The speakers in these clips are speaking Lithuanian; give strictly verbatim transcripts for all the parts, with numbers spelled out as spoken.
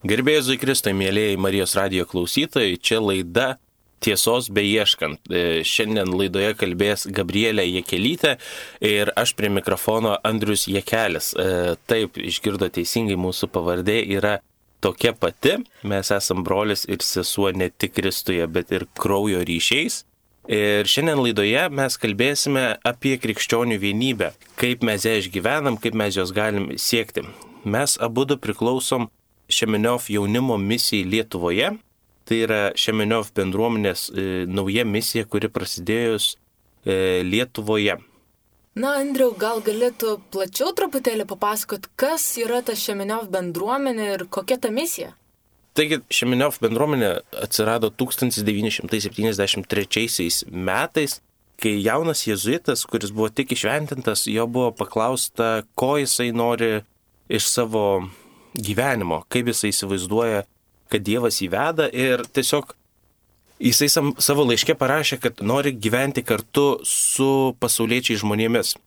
Garbėjai Jėzui Kristui, mėlyjei Marijos radijo klausytojai, čia laida Tiesos beieškant. Šiandien laidoje kalbės Gabrielė Jakelytė ir aš prie mikrofono Andrius Jakelis. Taip, išgirdo teisingai, mūsų pavardė yra tokia pati. Mes esam brolis ir sesuo ne tik Kristuje, bet ir kraujo ryšiais. Ir šiandien laidoje mes kalbėsime apie krikščionių vienybę, kaip mes ją išgyvenam, kaip mes jos galim siekti. Mes abudu priklausom Šemeniov jaunimo misijai Lietuvoje. Tai yra Šemeniov bendruomenės e, nauja misija, kuri prasidėjus e, Lietuvoje. Na, Andriau, gal galėtų plačiau truputėlį papasakot, kas yra ta Šemeniov bendruomenė ir kokia ta misija? Taigi, Šemeniov bendruomenė atsirado tūkstantis devyni šimtai septyniasdešimt trečiaisiais metais, kai jaunas jėzuitas, kuris buvo tik įšventintas, jo buvo paklausta, ko jisai nori iš savo gyvenimo, kaip jisai įsivaizduoja, kad Dievas įveda, ir tiesiog jisai sam, savo laiške parašė, kad nori gyventi kartu su pasauliečiai žmonėmis.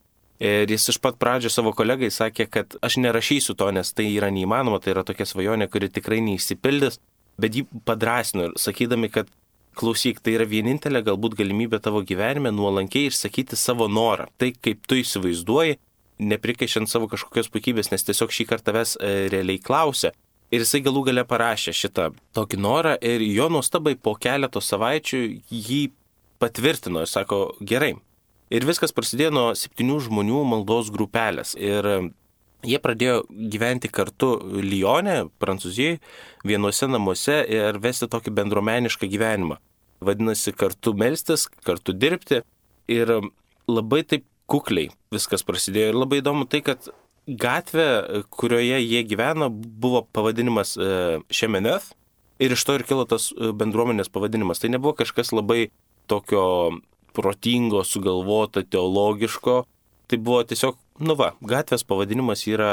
Ir jis iš pat pradžio savo kolegai sakė, kad aš nerašysiu to, nes tai yra neįmanoma, tai yra tokia svajonė, kuri tikrai neišsipildys, bet jį padrasino, sakydami, kad klausyk, tai yra vienintelė galbūt galimybė tavo gyvenime nuolankiai išsakyti savo norą, tai kaip tu įsivaizduoji, neprikaišiant savo kažkokios puikybės, nes tiesiog šį kartą tavęs e, realiai klausė. Ir jisai galų gale parašė šitą tokį norą ir jo nuostabai po keletos savaičių jį patvirtino ir sako, gerai. Ir viskas prasidėjo nuo septynių žmonių maldos grupelės. Ir jie pradėjo gyventi kartu Lyone, Prancūzijoje, vienuose namuose ir vesti tokį bendruomenišką gyvenimą. Vadinasi, kartu melstis, kartu dirbti ir labai taip kukliai viskas prasidėjo. Ir labai įdomu tai, kad gatvė, kurioje jie gyveno, buvo pavadinimas Šemeniov ir iš to ir kilo tas bendruomenės pavadinimas. Tai nebuvo kažkas labai tokio protingo, sugalvota, teologiško. Tai buvo tiesiog, nu va, gatvės pavadinimas yra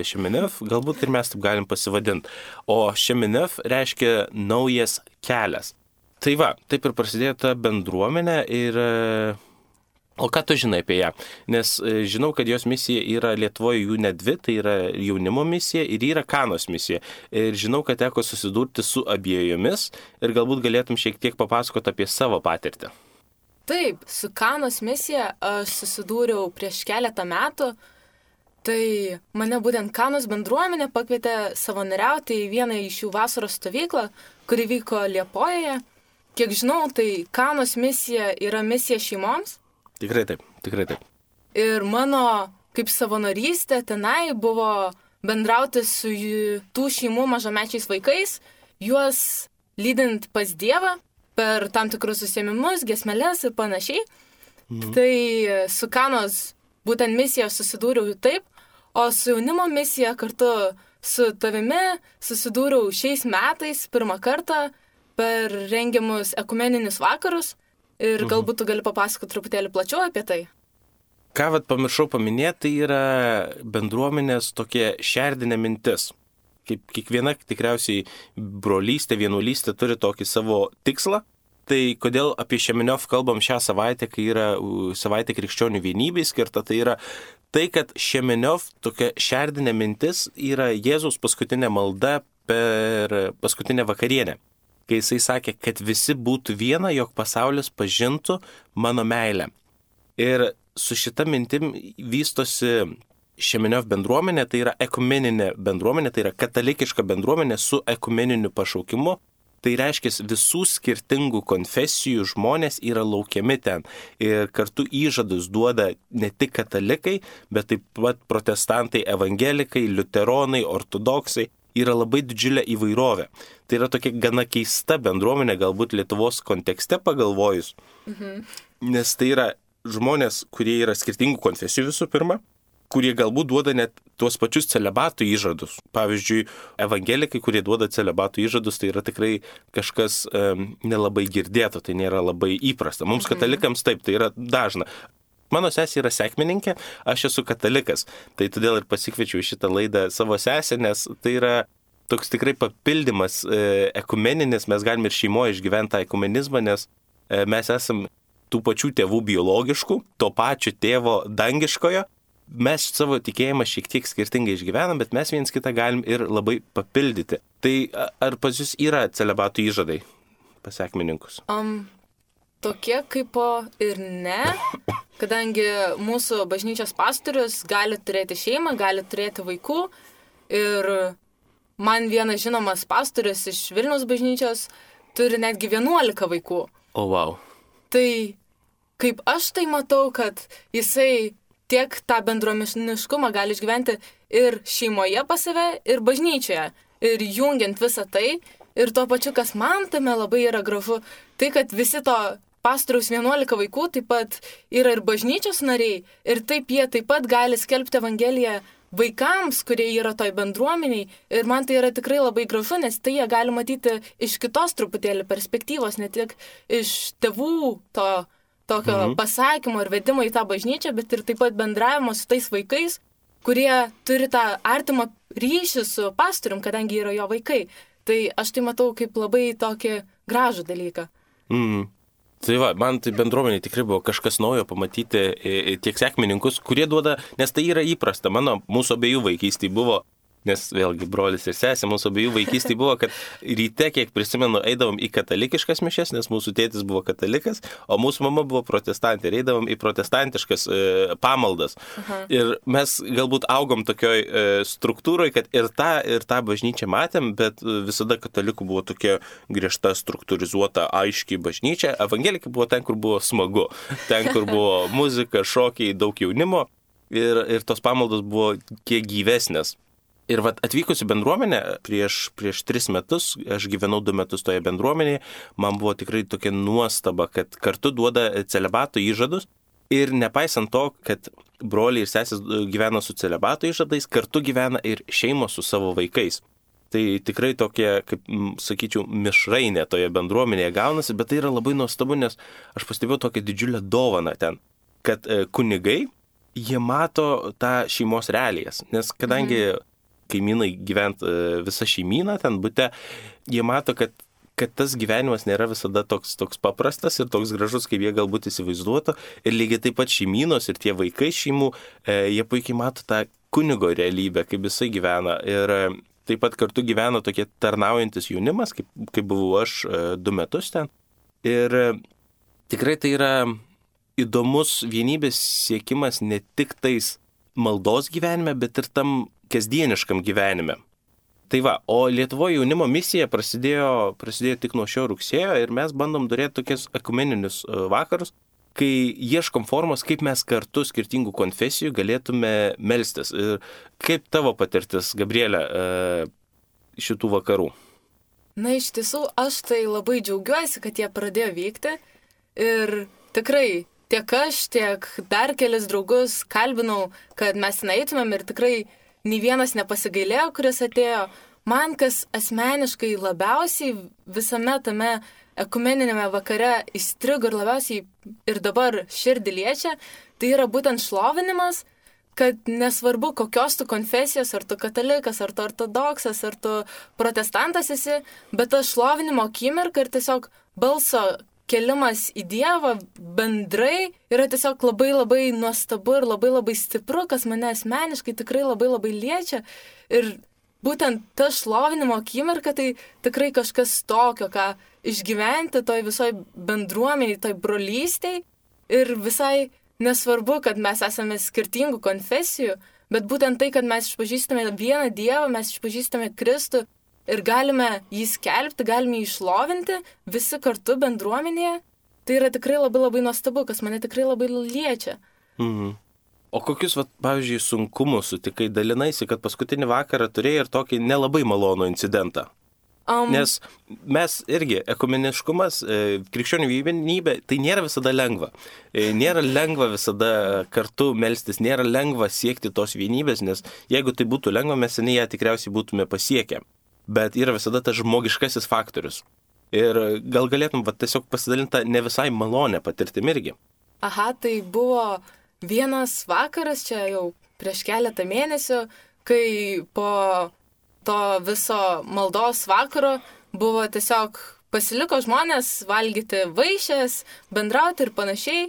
Šemeniov, galbūt ir mes taip galim pasivadinti. O Šemeniov reiškia naujas kelias. Tai va, taip ir prasidėjo ta bendruomenė ir... O ką tu žinai apie ją? Nes žinau, kad jos misija yra Lietuvoje jų ne dvi, tai yra jaunimo misija ir yra Kanos misija. Ir žinau, kad teko susidurti su abiejomis ir galbūt galėtum šiek tiek papasakoti apie savo patirtį. Taip, su Kanos misija aš susidūriau prieš keletą metų. Tai mane būtent Kanos bendruomenė pakvietė savanoriauti į vieną iš jų vasaros stovyklą, kuri vyko Liepojoje. Kiek žinau, tai Kanos misija yra misija šeimoms. Tikrai taip, tikrai taip. Ir mano kaip savanorystė tenai buvo bendrauti su tų šeimų mažamečiais vaikais, juos lydint pas Dievą per tam tikrus užsiėmimus, giesmeles ir panašiai. Mhm. Tai su Kanos būtent misija susidūriau taip, o su jaunimo misija kartu su tavimi susidūriau šiais metais pirmą kartą per rengiamus ekumeninius vakarus. Ir galbūt tu gali papasakoti truputėlį plačiau apie tai. Ką vat pamiršau paminėti, tai yra bendruomenės tokia šerdinė mintis. Kaip kiekviena tikriausiai brolystė, vienuolystė turi tokį savo tikslą. Tai kodėl apie Šemeniov kalbam šią savaitę, kai yra savaitė krikščionių vienybei skirta, tai yra tai, kad Šemeniov tokia šerdinė mintis yra Jėzaus paskutinė malda per paskutinę vakarienę. Kai jisai sakė, kad visi būtų viena, jog pasaulis pažintų mano meilę. Ir su šita mintim vystosi Šemeniov bendruomenė, tai yra ekumeninė bendruomenė, tai yra katalikiška bendruomenė su ekumeniniu pašaukimu. Tai reiškia, visų skirtingų konfesijų žmonės yra laukiami ten. Ir kartu įžadus duoda ne tik katalikai, bet taip pat protestantai, evangelikai, liuteronai, ortodoksai. Yra labai didžiulė įvairovė. Tai yra tokia gana keista bendruomenė, galbūt Lietuvos kontekste pagalvojus. Mhm. Nes tai yra žmonės, kurie yra skirtingų konfesijų visų pirma, kurie galbūt duoda net tuos pačius celibatų įžadus. Pavyzdžiui, evangelikai, kurie duoda celibatų įžadus, tai yra tikrai kažkas um, nelabai girdėto, tai nėra labai įprasta. Mums mhm. katalikams taip, tai yra dažna. Mano sesė yra sekmininkė, aš esu katalikas, tai todėl ir pasikviečiau šitą laidą savo sesę, nes tai yra toks tikrai papildymas e, ekumeninis, mes galime ir šeimoje išgyventi tą ekumenizmą, nes e, mes esam tų pačių tėvų biologiškų, to pačio tėvo dangiškojo, mes savo tikėjimą šiek tiek skirtingai išgyvenam, bet mes viens kitą galim ir labai papildyti. Tai ar pas jūs yra celibatų įžadai pas sekmininkus? Um, tokie kaip ir ne, kadangi mūsų bažnyčios pastorius gali turėti šeimą, gali turėti vaikų ir man vienas žinomas pastorius iš Vilniaus bažnyčios turi netgi vienuolika vaikų. O, oh, wow. Tai kaip aš tai matau, kad jisai tiek tą bendruomeniškumą gali išgyventi ir šeimoje pas save, ir bažnyčioje. Ir jungiant visą tai, ir tuo pačiu, kas man tame labai yra gražu, tai kad visi to pastoriaus vienuolika vaikų taip pat yra ir bažnyčios nariai, ir taip jie taip pat gali skelbti Evangeliją vaikams, kurie yra toj bendruomeniai. Ir man tai yra tikrai labai gražu, nes tai jie gali matyti iš kitos truputėlį perspektyvos, ne tik iš tėvų to tokio mhm. pasakymo ir vedimo į tą bažnyčią, bet ir taip pat bendravimo su tais vaikais, kurie turi tą artimą ryšį su pastorium, kadangi yra jo vaikai. Tai aš tai matau kaip labai tokį gražų dalyką. Mhm. Tai va, man tai bendruomenė tikrai buvo kažkas naujo pamatyti tiek sekmininkus, kurie duoda, nes tai yra įprasta. Mano, mūsų abiejų vaikystėje buvo, nes vėlgi brolis ir sesė, mūsų abiejų vaikystėje buvo, kad ryte, kiek prisimenu, eidavom į katalikiškas mišias, nes mūsų tėtis buvo katalikas, o mūsų mama buvo protestantė ir eidavom į protestantiškas e, pamaldas. Aha. Ir mes galbūt augom tokioj e, struktūroje, kad ir tą, ir tą bažnyčią matėm, bet visada katalikų buvo tokia griežta, struktūrizuota, aiški bažnyčia. Evangelika buvo ten, kur buvo smagu, ten, kur buvo muzika, šokiai, daug jaunimo ir, ir tos pamaldos buvo kiek gyvesnės. Ir vat atvykusi bendruomenė prieš, prieš tris metus, aš gyvenau du metus toje bendruomenėje, man buvo tikrai tokia nuostaba, kad kartu duoda celibato įžadus ir nepaisant to, kad broliai ir sesės gyvena su celibato įžadais, kartu gyvena ir šeimos su savo vaikais. Tai tikrai tokia, kaip sakyčiau, mišrainė toje bendruomenėje gaunasi, bet tai yra labai nuostabu, nes aš pastebėjau tokią didžiulę dovaną ten, kad kunigai, jie mato tą šeimos realijas, nes kadangi mhm. kaimynai gyvent visą šeimyną ten bute, jie mato, kad, kad tas gyvenimas nėra visada toks, toks paprastas ir toks gražus, kaip jie galbūt įsivaizduotų. Ir lygiai taip pat šeimynos ir tie vaikai šeimų, e, jie puikiai mato tą kunigo realybę, kaip jisai gyvena. Ir e, taip pat kartu gyvena tokie tarnaujantis jaunimas, kaip, kaip buvau aš e, du metus ten. Ir e, tikrai tai yra įdomus vienybės siekimas ne tik tais maldos gyvenime, bet ir tam kasdieniškam gyvenime. Tai va, o Lietuvoje jaunimo misija prasidėjo, prasidėjo tik nuo šio rugsėjo ir mes bandom turėti tokius ekumeninius vakarus, kai ieškom formos, kaip mes kartu skirtingų konfesijų galėtume melstis. Ir kaip tavo patirtis, Gabrielė, šitų vakarų? Na, iš tiesų, aš tai labai džiaugiuosi, kad jie pradėjo vykti ir tikrai tiek aš, tiek dar kelis draugus kalbinau, kad mes eitumėm ir tikrai nei vienas nepasigailėjo, kuris atėjo. Man, kas asmeniškai labiausiai visame tame ekumeninėme vakare įstrigo ir labiausiai ir dabar širdį liečia, tai yra būtent šlovinimas, kad nesvarbu kokios tu konfesijos, ar tu katalikas, ar tu ortodoksas, ar tu protestantas esi, bet ta šlovinimo akimirka ir tiesiog balso kelimas į Dievą bendrai yra tiesiog labai labai nuostabu ir labai labai stipru, kas mane asmeniškai tikrai labai labai liečia. Ir būtent ta šlovinimo akimirka tai tikrai kažkas tokio, ką išgyventi toj visoj bendruomeniai, toj brolystėj. Ir visai nesvarbu, kad mes esame skirtingų konfesijų, bet būtent tai, kad mes išpažįstame vieną Dievą, mes išpažįstame Kristų, ir galime jį skelbti, galime jį išlovinti visi kartu bendruomenėje. Tai yra tikrai labai labai nuostabu, kas mane tikrai labai liečia. Mhm. O kokius, vat, pavyzdžiui, sunkumus sutikai, dalinaisi, kad paskutinį vakarą turėjai ir tokį nelabai malonų incidentą? Um, Nes mes irgi, ekumeniškumas, krikščionių vienybė, tai nėra visada lengva. Nėra lengva visada kartu melstis, nėra lengva siekti tos vienybės, nes jeigu tai būtų lengva, mes seniai ją tikriausiai būtume pasiekę. Bet yra visada tas žmogiškasis faktorius. Ir gal galėtum va, tiesiog pasidalinti ne visai malonę patirtim irgi. Aha, tai buvo vienas vakaras, čia jau prieš keletą mėnesių, kai po to viso maldos vakaro buvo tiesiog pasiliko žmonės valgyti vaišes, bendrauti ir panašiai.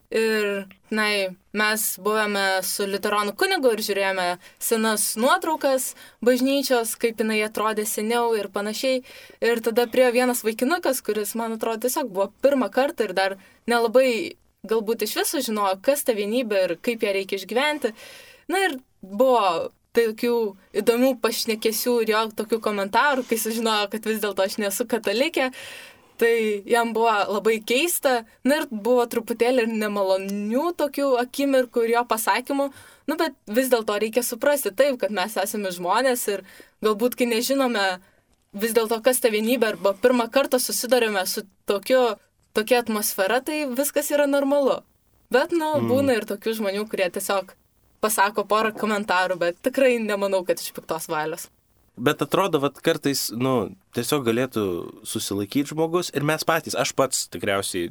Ir, na, mes buvome su liuteronų kunigu ir žiūrėjome senas nuotraukas bažnyčios, kaip jinai atrodė seniau ir panašiai. Ir tada priėjo vienas vaikinukas, kuris, man atrodo, tiesiog buvo pirmą kartą ir dar nelabai galbūt iš viso žinojo, kas ta vienybė ir kaip ją reikia išgyventi. Na ir buvo tokių įdomių pašnekesių ir jo tokių komentarų, kai sužinojo, kad vis dėlto aš nesu katalikė. Tai jam buvo labai keista, na ir buvo truputėlį ir nemalonių tokių akimirkų ir jo pasakymų, nu bet vis dėlto reikia suprasti taip, kad mes esame žmonės ir galbūt kai nežinome vis dėlto kas ta vienybė arba pirmą kartą susidurime su tokiu, tokia atmosfera, tai viskas yra normalu. Bet, nu, mm. būna ir tokių žmonių, kurie tiesiog pasako porą komentarų, bet tikrai nemanau, kad iš piktos valios. Bet atrodo, vat kartais, nu, tiesiog galėtų susilaikyti žmogus ir mes patys, aš pats tikriausiai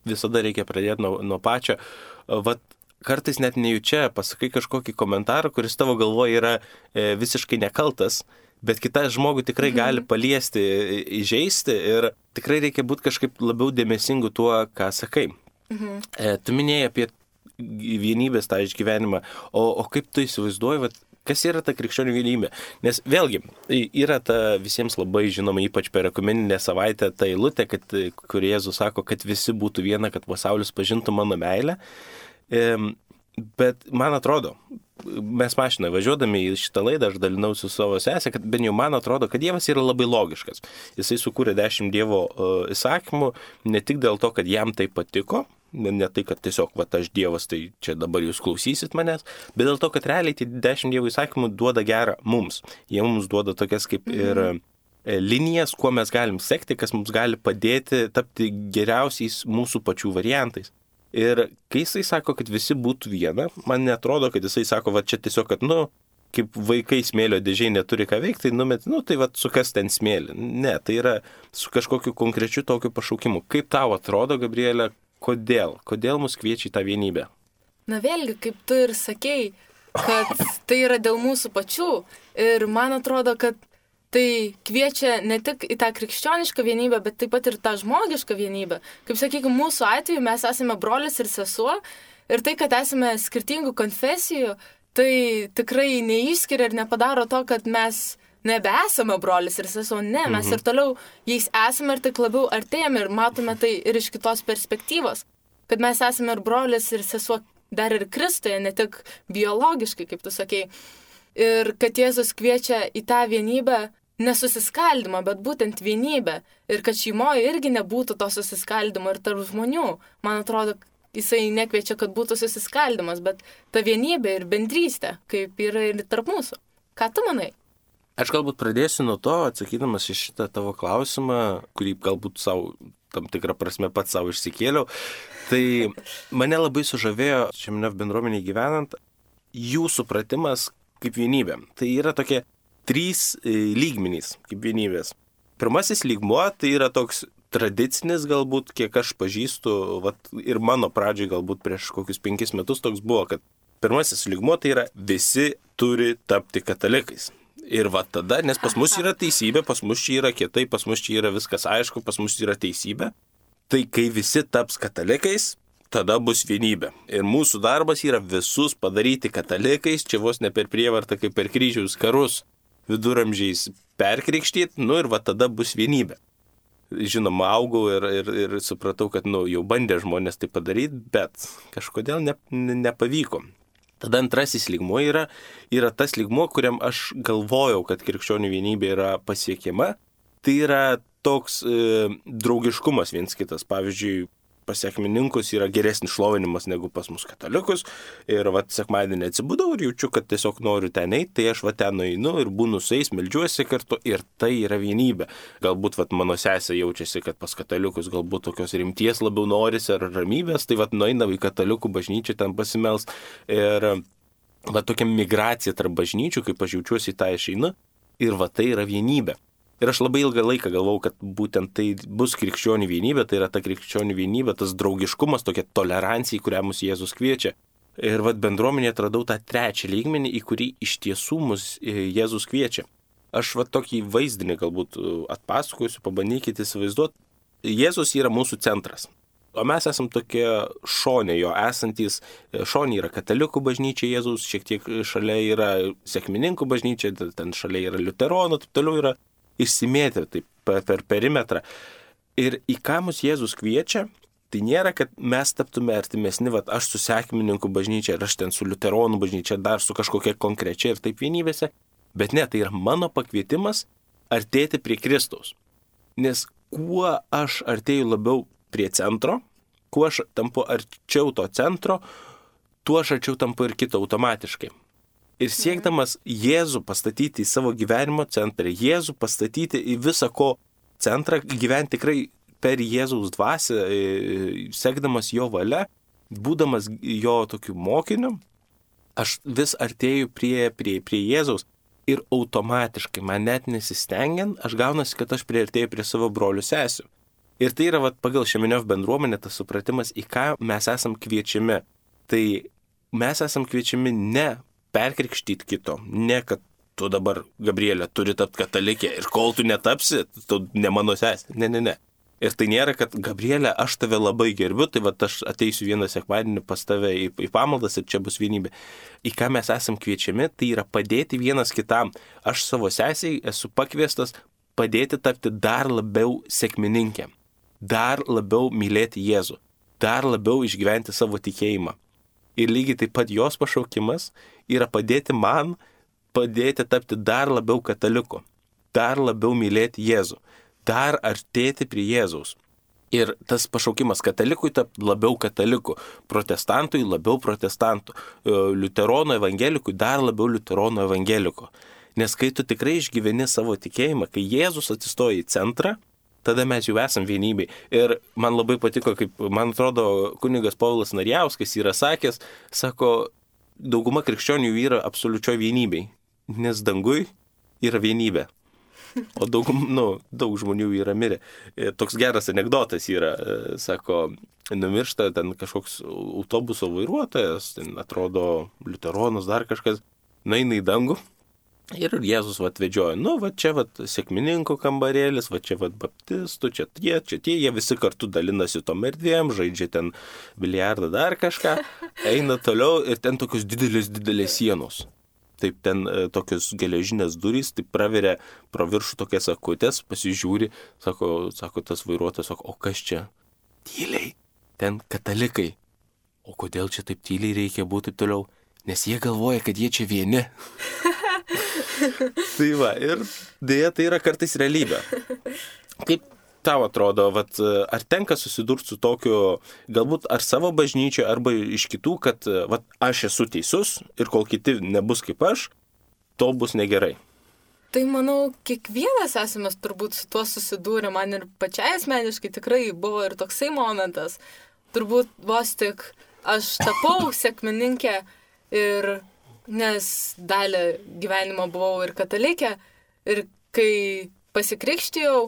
visada reikia pradėti nuo, nuo pačio, vat kartais net nejučia pasakai kažkokį komentarą, kuris tavo galvoje yra e, visiškai nekaltas, bet kitas žmogų tikrai mhm. gali paliesti, įžeisti ir tikrai reikia būti kažkaip labiau dėmesingu tuo, ką sakai. Mhm. E, tu minėjai apie vienybės tą išgyvenimą, o, o kaip tu įsivaizduoji, vat, kas yra ta krikščionių vienybė? Nes vėlgi, yra ta visiems labai žinoma, ypač per ekumeninę savaitę, ta eilutė, kad, kur Jėzus sako, kad visi būtų viena, kad pasaulis pažintų mano meilę. Bet man atrodo, mes mašinoje važiuodami į šitą laidą, aš dalinausi su savo sesę, kad bent jau man atrodo, kad Dievas yra labai logiškas. Jisai sukūrė dešimt Dievo įsakymų, ne tik dėl to, kad jam tai patiko, ne tai, kad tiesiog, va, aš Dievas, tai čia dabar jūs klausysit manęs, bet dėl to, kad realiai tie dešimt Dievo įsakymų duoda gerą mums. Jie mums duoda tokias kaip ir linijas, kuo mes galim sekti, kas mums gali padėti tapti geriausiais mūsų pačių variantais. Ir kai jisai sako, kad visi būtų viena, man netrodo, kad jisai sako, va, čia tiesiog, kad, nu, kaip vaikai smėlio dėžiai neturi ką veikti, tai numet, nu, tai va, sukas ten smėlį. Ne, tai yra su kažkokiu konkrečiu tokiu pašaukimu. Kaip tau atrodo, Gabrielė, kodėl? Kodėl mus kviečia į tą vienybę? Na vėlgi, kaip tu ir sakei, kad tai yra dėl mūsų pačių. Ir man atrodo, kad tai kviečia ne tik į tą krikščionišką vienybę, bet taip pat ir tą žmogišką vienybę. Kaip sakykime, mūsų atveju mes esame brolis ir sesuo. Ir tai, kad esame skirtingų konfesijų, tai tikrai neišskiria ir nepadaro to, kad mes nebesame brolis ir sesuo, ne, mes mhm. ir toliau jais esame ir tik labiau artėjame ir matome tai ir iš kitos perspektyvos, kad mes esame ir brolis ir sesuo dar ir Kristuje, ne tik biologiškai, kaip tu sakei, ir kad Jėzus kviečia į tą vienybę, nesusiskaldimą, bet būtent vienybę, ir kad šeimoje irgi nebūtų to susiskaldimo ir tarp žmonių. Man atrodo, jisai nekviečia, kad būtų susiskaldimas, bet ta vienybė ir bendrystė, kaip yra ir tarp mūsų. Ką tu manai? Aš galbūt pradėsiu nuo to, atsakydamas į šitą tavo klausimą, kurį galbūt savo, tam tikrą prasme pats savo išsikėliau. Tai mane labai sužavėjo šiame bendruomenėje gyvenant jų supratimas kaip vienybė. Tai yra tokie trys lygmenys kaip vienybės. Pirmasis lygmuo tai yra toks tradicinis galbūt, kiek aš pažįstu, vat, ir mano pradžiai galbūt prieš kokius penkis metus toks buvo, kad pirmasis lygmuo tai yra visi turi tapti katalikais. Ir va tada, nes pas mus yra teisybė, pas mus čia yra kietai, pas mus čia yra viskas aišku, pas mus yra teisybė. Tai kai visi taps katalikais, tada bus vienybė. Ir mūsų darbas yra visus padaryti katalikais, čia vos ne per prievartą, kaip per kryžiaus karus viduramžiais perkrikštyt, nu ir va tada bus vienybė. Žinoma, augau ir, ir, ir supratau, kad nu, jau bandė žmonės tai padaryti, bet kažkodėl ne, ne, nepavyko. Tada antrasis lygmuo yra, yra tas lygmuo, kuriam aš galvojau, kad krikščionių vienybė yra pasiekiama. Tai yra toks e, draugiškumas viens kitas. Pavyzdžiui, pas sekmininkus yra geresnis šlovinimas negu pas mus katalikus. Ir va, sekmadienį atsibudau ir jaučiu, kad tiesiog noriu ten eiti, tai aš va ten nueinu ir būnu su jais, meldžiuosi kartu ir tai yra vienybė. Galbūt va, mano sesė jaučiasi, kad pas katalikus galbūt tokios rimties labiau norisi ar ramybės, tai va, nueina į katalikų bažnyčią ten pasimels. Ir va, tokia migracija tarp bažnyčių, kaip aš jaučiuosi, tą išeinu. Ir va, tai yra vienybė. Ir aš labai ilgą laiką galvau, kad būtent tai bus krikščionių vienybė, tai yra ta krikščionių vienybė, tas draugiškumas, tokia tolerancija, į kurią mus Jėzus kviečia. Ir vat bendruomenėje atradau tą trečią lygmenį, į kurį iš tiesų mus Jėzus kviečia. Aš vat tokį vaizdinį galbūt atpasakosiu, pabandykite įsivaizduoti. Jėzus yra mūsų centras. O mes esam tokie šonė jo esantys, šonė yra katalikų bažnyčia Jėzaus, šiek tiek šalia yra sekmininkų bažnyčia, ten šalia yra liuteronų, taip toliau yra išsimėtę taip, per perimetrą. Ir į ką mus Jėzus kviečia, tai nėra, kad mes taptume artimesni, vat aš su sekmininkų bažnyčia, ir aš ten su liuteronų bažnyčia, dar su kažkokia konkrečia ir taip vienybėse, bet ne, tai yra mano pakvietimas artėti prie Kristaus. Nes kuo aš artėju labiau prie centro, kuo aš tampu arčiau to centro, tuo aš arčiau tampu ir kito automatiškai. Ir siekdamas Jėzų pastatyti į savo gyvenimo centrą, Jėzų pastatyti į visą ko centrą, gyventi tikrai per Jėzaus dvasią, sekdamas jo valia, būdamas jo tokiu mokiniu, aš vis artėju prie, prie, prie Jėzaus ir automatiškai, man net nesistengiant, aš gaunasi, kad aš priartėju prie savo brolių sesių. Ir tai yra vat, pagal Šeminov bendruomenę tas supratimas, į ką mes esam kviečiami. Tai mes esam kviečiami ne perkrikštyti kito, ne kad tu dabar, Gabrielė, turi tapti katalikė ir kol tu netapsi, tu ne mano sesė. Ne, ne, ne. Ir tai nėra, kad Gabrielė, aš tave labai gerbiu, tai vat aš ateisiu vieną sekmadienį pas tave į, į pamaldas ir čia bus vienybė. Į ką mes esam kviečiami, tai yra padėti vienas kitam. Aš savo sesiai esu pakviestas padėti tapti dar labiau sekmininkėm. Dar labiau mylėti Jėzų, dar labiau išgyventi savo tikėjimą. Ir lygiai taip pat jos pašaukimas yra padėti man, padėti tapti dar labiau kataliku, dar labiau mylėti Jėzų, dar artėti prie Jėzaus. Ir tas pašaukimas katalikui tapti labiau kataliku, protestantui labiau protestantų, liuteronų evangelikui dar labiau liuteronų evangeliko. Nes kai tu tikrai išgyveni savo tikėjimą, kai Jėzus atsistoja į centrą, tada mes jau esam vienybei. Ir man labai patiko, kaip, man atrodo, kunigas Povilas Narjauskas yra sakęs, sako, dauguma krikščionių yra absoliučioj vienybei, nes dangui yra vienybė. O daug, nu, daug žmonių yra mirę. Toks geras anekdotas yra, sako, numiršta ten kažkoks autobuso vairuotojas, ten atrodo liuteronas, dar kažkas, nueina į dangų. Ir Jėzus vat vedžioja, nu, va čia vat sekmininkų kambarėlis, va čia vat baptistų, čia tie, čia tie, jie visi kartu dalinasi tom erdvėm, žaidžia ten biliardą dar kažką, eina toliau ir ten tokios didelės, didelės sienos. Taip ten e, tokios geležinės durys, taip praveria pro viršų tokias akutės, pasižiūri, sako, sako tas vairuotojas, sako, o kas čia? Tyliai, ten katalikai. O kodėl čia taip tyliai reikia būti toliau? Nes jie galvoja, kad jie čia vieni. Tai va, ir dėja tai yra kartais realybė. Kaip tau atrodo, vat, ar tenka susidurti su tokiu, galbūt ar savo bažnyčioje, arba iš kitų, kad vat, aš esu teisus ir kol kiti nebus kaip aš, to bus negerai? Tai manau, kiekvienas esame turbūt su tuo susidūrę, man ir pačiai asmeniškai tikrai buvo ir toksai momentas. Turbūt vos tik aš tapau sekmininkė ir nes dalį gyvenimo buvau ir katalikė, ir kai pasikrikštijau,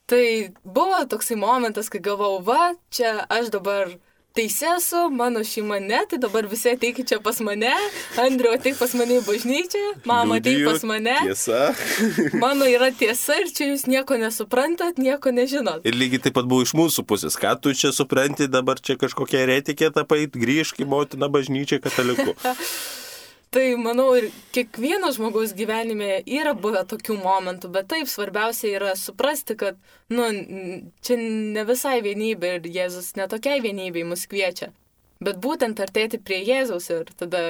tai buvo toksai momentas, kai galvau, va, čia aš dabar teisi esu, mano šeima ne, tai dabar visi ateikit čia pas mane, Andriu ateik pas mane į bažnyčią, mama ateik pas mane. Tiesa. Mano yra tiesa ir čia jūs nieko nesuprantat, nieko nežinot. Ir lygiai taip pat buvo iš mūsų pusės, ką tu čia supranti, dabar čia kažkokia eretikė tapai, grįžk į motiną bažnyčią kataliku. Tai manau ir kiekvieno žmogaus gyvenime yra buvę tokių momentų, bet taip svarbiausia yra suprasti, kad nu, čia ne visai vienybė ir Jėzus netokiai vienybei mus kviečia, bet būtent artėti prie Jėzaus ir tada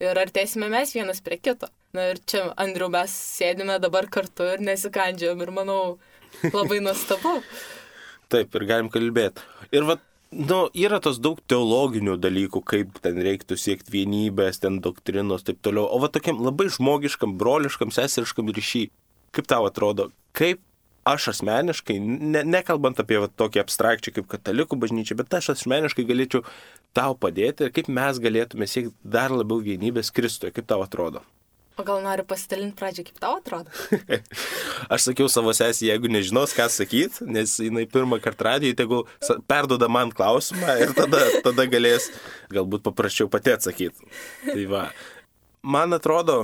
ir artėsime mes vienas prie kito. Na ir čia, Andriu, mes sėdime dabar kartu ir nesikandžiam ir manau labai nuostabu. Taip, ir galim kalbėti. Ir vat, nu, yra tos daug teologinių dalykų, kaip ten reiktų siekti vienybės, ten doktrinos, taip toliau. O va tokiam labai žmogiškam, broliškam, seseriškam ryšy, kaip tau atrodo, kaip aš asmeniškai, ne, nekalbant apie va, tokį abstrakčią kaip katalikų bažnyčią, bet aš asmeniškai galėčiau tau padėti ir kaip mes galėtume siekti dar labiau vienybės Kristuje, kaip tau atrodo. O gal noriu pasidalinti pradžią, kaip tau atrodo? Aš sakiau savo sesijai, jeigu nežinos, ką sakyti, nes jinai pirmą kartą radijoje, tegul perduoda man klausimą ir tada, tada galės galbūt paprasčiau pati atsakyti. Tai va, man atrodo,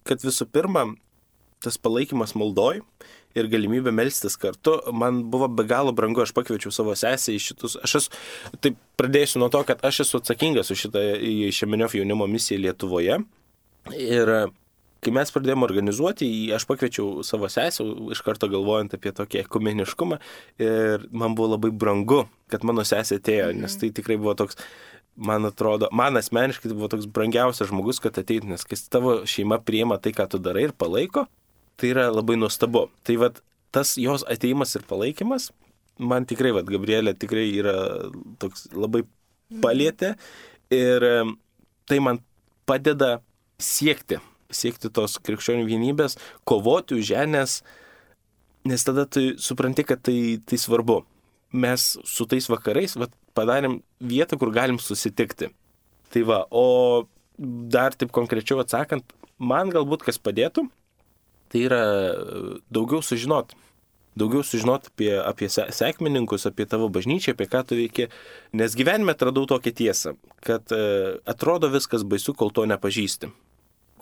kad visų pirma, tas palaikymas maldoj ir galimybė melstis kartu, man buvo be galo brangu, aš pakviečiau savo sesę į šitus, aš esu, taip pradėsiu nuo to, kad aš esu atsakingas už šitą Šemeniov jaunimo misiją Lietuvoje ir kai mes pradėjome organizuoti, aš pakviečiau savo sesę, iš karto galvojant apie tokį ekumeniškumą ir man buvo labai brangu, kad mano sesė atėjo, nes tai tikrai buvo toks, man atrodo, man asmeniškai tai buvo toks brangiausias žmogus, kad ateit, nes kai tavo šeima priima tai, ką tu darai ir palaiko, tai yra labai nuostabu. Tai vat, tas jos ateimas ir palaikymas, man tikrai, vat, Gabrielė tikrai yra toks labai palietė ir tai man padeda siekti, siekti tos krikščionių vienybės, kovoti už ją, nes, nes tada tu supranti, kad tai, tai svarbu. Mes su tais vakarais vat, padarėm vietą, kur galim susitikti. Tai va, o dar taip konkrečiau atsakant, man galbūt kas padėtų, tai yra daugiau sužinot. Daugiau sužinot apie, apie sekmininkus, apie tavo bažnyčią, apie ką tu veiki. Nes gyvenime atradau tokią tiesą, kad e, atrodo viskas baisu, kol to nepažįsti.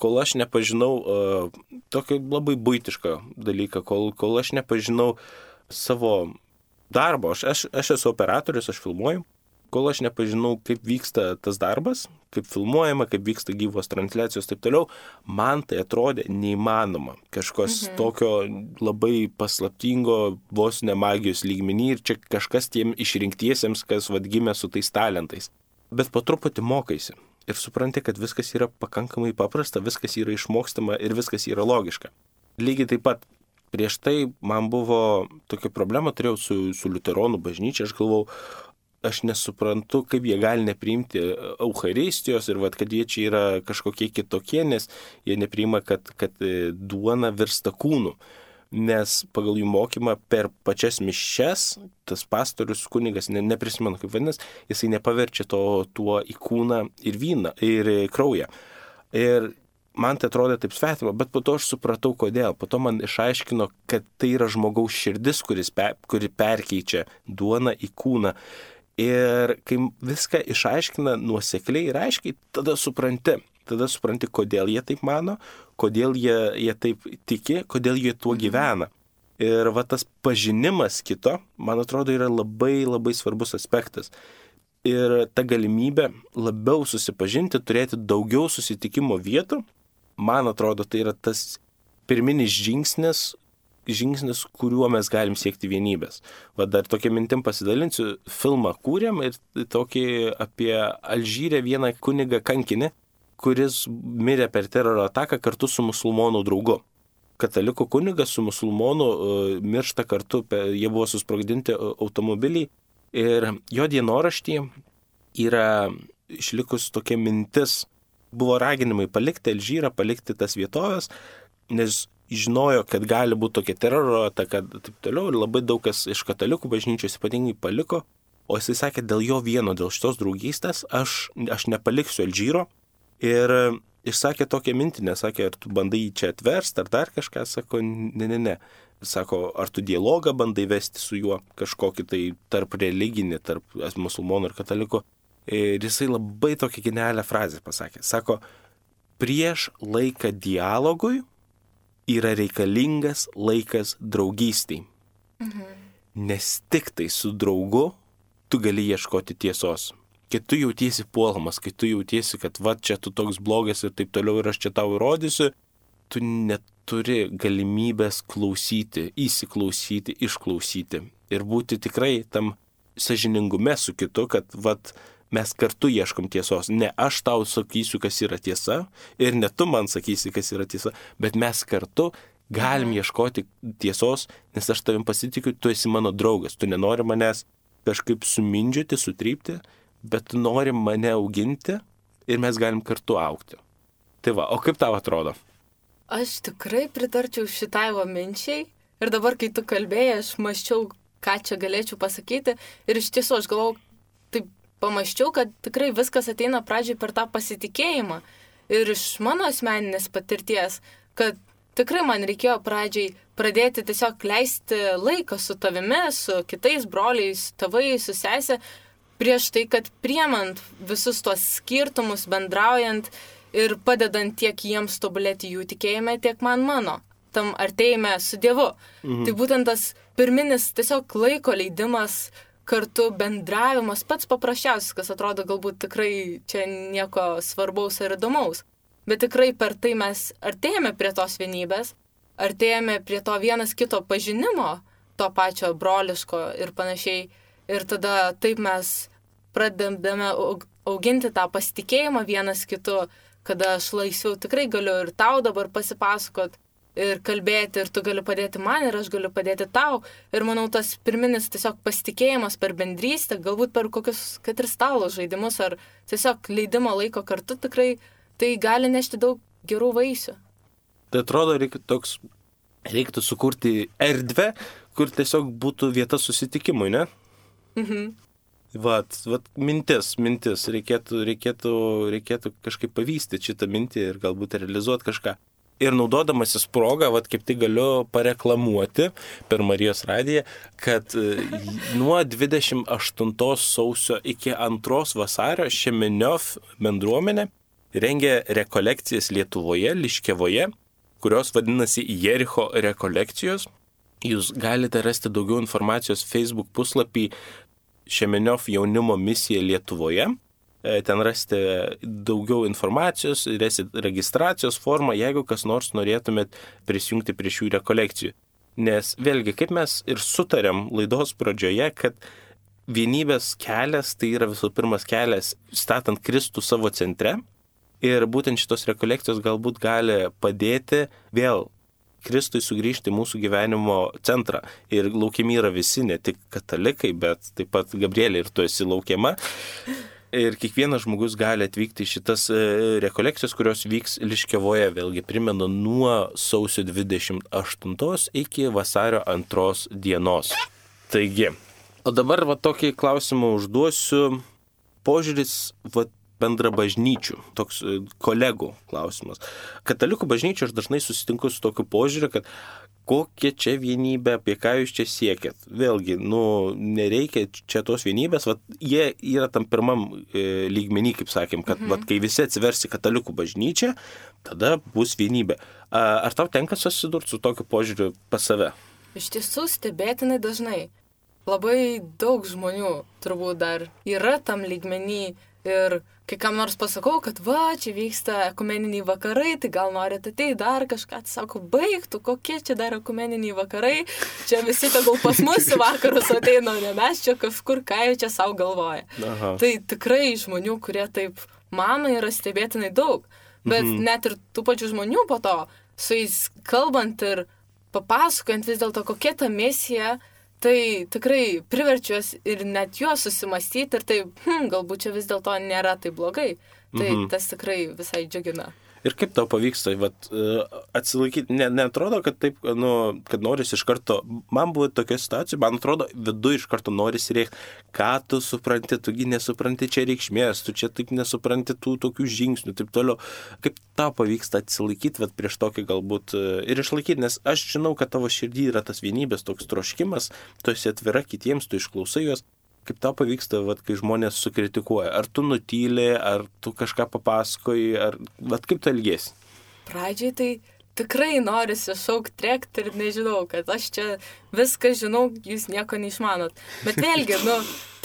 Kol aš nepažinau e, tokį labai buitišką dalyką, kol, kol aš nepažinau savo darbo, aš, aš, aš esu operatorius, aš filmuoju, kol aš nepažinau, kaip vyksta tas darbas, kaip filmuojama, kaip vyksta gyvos transliacijos ir taip toliau, man tai atrodė neįmanoma. Kažkas mhm. tokio labai paslaptingo, vos ne magijos lygmenį ir čia kažkas tiem išrinktiesiems, kas vad gimė su tais talentais. Bet po truputį mokaisi ir supranti, kad viskas yra pakankamai paprasta, viskas yra išmokstama ir viskas yra logiška. Lygiai taip pat prieš tai man buvo tokia problema, turėjau su, su liuteronų bažnyčia, aš galvau, aš nesuprantu, kaip jie gali nepriimti Eucharistijos ir vat, kad jie čia yra kažkokie kitokie, nes jie nepriima, kad, kad duona virsta kūnu. Nes pagal jų mokymą per pačias mišes, tas pastorius kunigas, ne, neprisimenu kaip vadinasi, jisai nepaverčia to tuo į kūną ir vyną, ir kraują. Ir man tai atrodė taip svetima, bet po to aš supratau, kodėl. Po to man išaiškino, kad tai yra žmogaus širdis, kuris pe, kuri perkeičia duoną į kūną. Ir kai viską išaiškina nuosekliai ir aiškiai, tada supranti. Tada supranti, kodėl jie taip mano, kodėl jie, jie taip tiki, kodėl jie tuo gyvena. Ir va tas pažinimas kito, man atrodo, yra labai labai svarbus aspektas. Ir ta galimybė labiau susipažinti, turėti daugiau susitikimo vietų, man atrodo, tai yra tas pirminis žingsnis, žingsnis, kuriuo mes galim siekti vienybės. Va dar tokia mintim pasidalinsiu, filmą kūrėm ir tokį apie Alžyrę vieną kunigą kankinį, kuris mirė per teroro ataką kartu su musulmonų draugu. Katalikų kunigas su musulmonu uh, miršta kartu, jie buvo susprogdinti automobiliai ir jo dienoraštyje yra išlikus tokia mintis, buvo raginimai palikti Alžyrą, palikti tas vietovės, nes žinojo, kad gali būti tokia teroro ataka ir taip toliau, ir labai daug kas iš katalikų bažnyčios ypatingai paliko, o jisai sakė, dėl jo vieno, dėl šitos draugystės, aš, aš nepaliksiu Alžyro, ir išsakė tokią mintį, nesakė, ar tu bandai jį čia atversti, ar dar kažką, sako, ne, ne, ne. Sako, ar tu dialogą bandai vesti su juo, kažkokį tai tarp religinį, tarp musulmonų ir katalikų. Ir jisai labai tokią genialią frazę pasakė. Sako, prieš laiką dialogui yra reikalingas laikas draugystiai. Mhm. Nes tik tai su draugu tu gali ieškoti tiesos. Kai tu jautiesi puolamas, kai tu jautiesi, kad va čia tu toks blogas ir taip toliau ir aš čia tau įrodysiu, tu neturi galimybės klausyti, įsiklausyti, išklausyti ir būti tikrai tam sąžiningume su kitu, kad vat mes kartu ieškom tiesos. Ne aš tau sakysiu, kas yra tiesa, ir ne tu man sakysi, kas yra tiesa, bet mes kartu galim ieškoti tiesos, nes aš tavim pasitikiu, tu esi mano draugas, tu nenori manęs kažkaip sumindžioti, sutrypti, bet tu nori mane auginti ir mes galim kartu augti. Tai va, o kaip tau atrodo? Aš tikrai pritarčiau šitai va minčiai ir dabar, kai tu kalbėjai, aš maščiau, ką čia galėčiau pasakyti ir iš tiesų aš galvau, taip pamaščiau, kad tikrai viskas ateina pradžiai per tą pasitikėjimą ir iš mano asmeninės patirties, kad tikrai man reikėjo pradžiai pradėti tiesiog leisti laiką su tavimi, su kitais broliais, tėvais, su sesė, prieš tai, kad priemant visus tuos skirtumus, bendraujant ir padedant tiek jiems tobulėti jų tikėjime, tiek man mano. tam artėjime su Dievu. Mhm. Tai būtent tas pirminis tiesiog laiko leidimas, kartu bendravimas, pats paprasčiausias, kas atrodo galbūt tikrai čia nieko svarbaus ar įdomaus. Bet tikrai per tai mes artėjame prie tos vienybės, artėjame prie to vienas kito pažinimo, to pačio broliško ir panašiai. Ir tada taip mes pradedame auginti tą pasitikėjimą vienas kitu, kada aš laisviau tikrai galiu ir tau dabar pasipasakot ir kalbėti, ir tu gali padėti man, ir aš galiu padėti tau. Ir manau, tas pirminis tiesiog pasitikėjimas per bendrystę, galbūt per kokius, kad ir stalo žaidimus, ar tiesiog leidimo laiko kartu, tikrai tai gali nešti daug gerų vaisių. Tai atrodo, reikia toks, reiktų sukurti erdvę, kur tiesiog būtų vieta susitikimui, ne? Mhm. Vat, vat mintis, mintis, reikėtų, reikėtų, reikėtų kažkaip pavystyti šitą mintį ir galbūt realizuoti kažką. Ir naudodamasis progą, vat kaip tai galiu pareklamuoti per Marijos radiją, kad nuo dvidešimt aštuntos sausio iki antros vasario Šemeniov bendruomenė rengia rekolekcijas Lietuvoje, Liškevoje, kurios vadinasi Jericho rekolekcijos. Jūs galite rasti daugiau informacijos Facebook puslapį Šemeniov jaunimo misija Lietuvoje. Ten rasite daugiau informacijos, rasite registracijos formą, jeigu kas nors norėtumėt prisijungti prie šių rekolekcijų. Nes vėlgi, kaip mes ir sutarėm laidos pradžioje, kad vienybės kelias tai yra visų pirmas kelias statant Kristų savo centre. Ir būtent šitos rekolekcijos galbūt gali padėti vėl Kristui sugrįžti į mūsų gyvenimo centrą. Ir laukiami yra visi, ne tik katalikai, bet taip pat Gabrielė ir tu esi laukiama. Ir kiekvienas žmogus gali atvykti į šitas rekolekcijas, kurios vyks Liškevoje, vėlgi primenu, nuo sausio dvidešimt aštuntos iki vasario antros dienos. Taigi, o dabar va tokį klausimą užduosiu. Požiūris va bendra bažnyčių, toks kolegų klausimas. Katalikų bažnyčių aš dažnai susitinku su tokiu požiūriu, kad kokia čia vienybė, apie ką jūs čia siekėt. Vėlgi, nu, nereikia čia tos vienybės, vat, jie yra tam pirmam e, lygmenį, kaip sakėm, kad mhm. vat, kai visi atsiversi katalikų bažnyčią, tada bus vienybė. A, ar tau tenka susidurti su tokiu požiūriu pas save? Iš tiesų stebėtinai dažnai. Labai daug žmonių turbūt dar yra tam lygmenį ir kai kam nors pasakau, kad va, čia vyksta ekumeniniai vakarai, tai gal norite ateiti dar kažką, tai sako, baigtų, kokie čia dar ekumeniniai vakarai, čia visi tegul pas mus į vakarus ateina, ne mes čia kažkur, ką jau čia savo galvoja. Aha. Tai tikrai žmonių, kurie taip mano, yra stebėtinai daug, bet mhm. net ir tų pačių žmonių po to, su jais kalbant ir papasakojant vis dėlto, kokia ta misija, tai tikrai priverčiuos ir net juos susimastyti ir tai, hm, galbūt čia vis dėlto nėra taip blogai. Tai mhm. tas tikrai visai džiugina. Ir kaip tau pavyksta, vat, atsilaikyti, ne, neatrodo, kad taip, nu, kad noris iš karto, man buvo tokia situacija, man atrodo, viduje iš karto noris rėkti, ką tu supranti, tugi nesupranti čia reikšmės, tu čia taip nesupranti tų tokių žingsnių, taip toliau. Kaip tau pavyksta atsilaikyti, vat, prieš tokį galbūt ir išlaikyti, nes aš žinau, kad tavo širdį yra tas vienybės toks troškimas, tu esi atvira kitiems, tu išklausai juos. Kaip tau pavyksta, vat, kai žmonės sukritikuoja? Ar tu nutyli, ar tu kažką papasakoji, ar vat, kaip tu elgiesi? Pradžiai tai tikrai norisi šaukti, trėkti ir nežinau, kad aš čia viską žinau, jūs nieko neišmanot. Bet vėlgi, nu,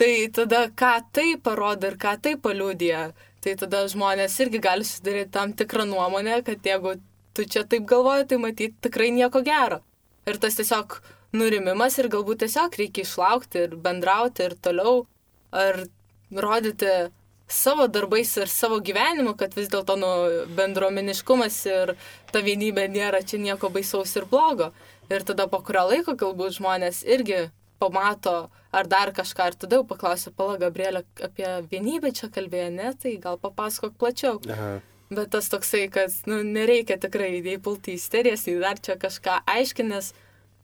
tai tada ką tai parodo ir ką tai paliudija, tai tada žmonės irgi gali susidaryti tam tikrą nuomonę, kad jeigu tu čia taip galvoji, tai matyti tikrai nieko gero. Ir tas tiesiog nurimimas ir galbūt tiesiog reikia išlaukti ir bendrauti ir toliau, ar rodyti savo darbais ir savo gyvenimu, kad vis dėlto nu, bendruomeniškumas ir ta vienybė nėra čia nieko baisaus ir blogo. Ir tada po kurio laiko galbūt žmonės irgi pamato ar dar kažką, ir tada jau paklausia, pala Gabrielė, apie vienybę čia kalbėjo, ne, tai gal papasakok plačiau. Aha. Bet tas toksai, kad nu, nereikia tikrai įpulti į isterijas, nei dar čia kažką aiškinės.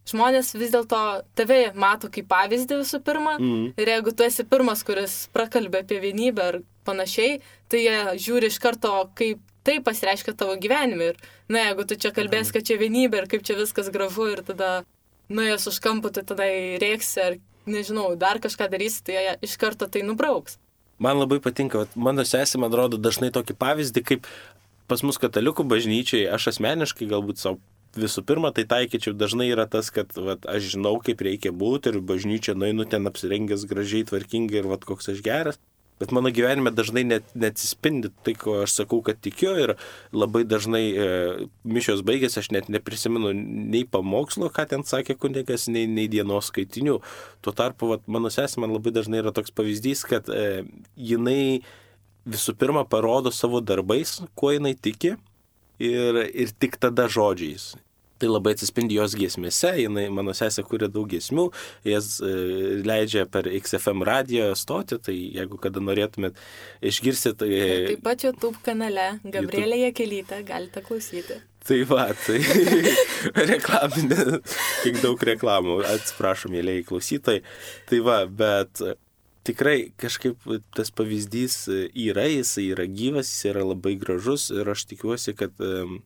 Žmonės vis dėlto tave mato kaip pavyzdį visų pirma, mm. ir jeigu tu esi pirmas, kuris prakalbė apie vienybę ar panašiai, tai jie žiūri iš karto, kaip tai pasireiškia tavo gyvenime. Ir, na, jeigu tu čia kalbės, kad čia vienybė ir kaip čia viskas gražu ir tada nuėjęs už kampų, tai tada rėksi ar, nežinau, dar kažką darysi, tai jie iš karto tai nubrauks. Man labai patinka, mano sesė, man rodo, dažnai tokį pavyzdį, kaip pas mus katalikų bažnyčiai, aš asmeniškai galbūt savo visų pirma, tai taikyčiau dažnai yra tas, kad vat, aš žinau, kaip reikia būti ir bažnyčia nueinu ten apsirengęs gražiai, tvarkingai ir vat, koks aš geras. Bet mano gyvenime dažnai net, neatsispindi tai, ko aš sakau, kad tikiu ir labai dažnai e, mišios baigėsi, aš net neprisimenu nei pamokslo, ką ten sakė kunigas, nei, nei dienos skaitinių. Tuo tarpu vat, mano sesė man labai dažnai yra toks pavyzdys, kad e, jinai visų pirma parodo savo darbais, kuo jinai tiki ir, ir tik tada žodžiais. Tai labai atsispindi jos giesmėse, jinai, mano sesė kuria daug giesmių, jas e, leidžia per X F M radijo stotį, tai jeigu kada norėtumėt išgirsti, tai... Taip pat YouTube kanale Gabrielė Jakelytė, galite klausyti. Tai va, tai reklaminė, kiek daug reklamų, atsiprašom, mėlėjai klausytojai. Tai va, bet tikrai kažkaip tas pavyzdys yra, jis yra gyvas, jis yra labai gražus ir aš tikiuosi, kad... E,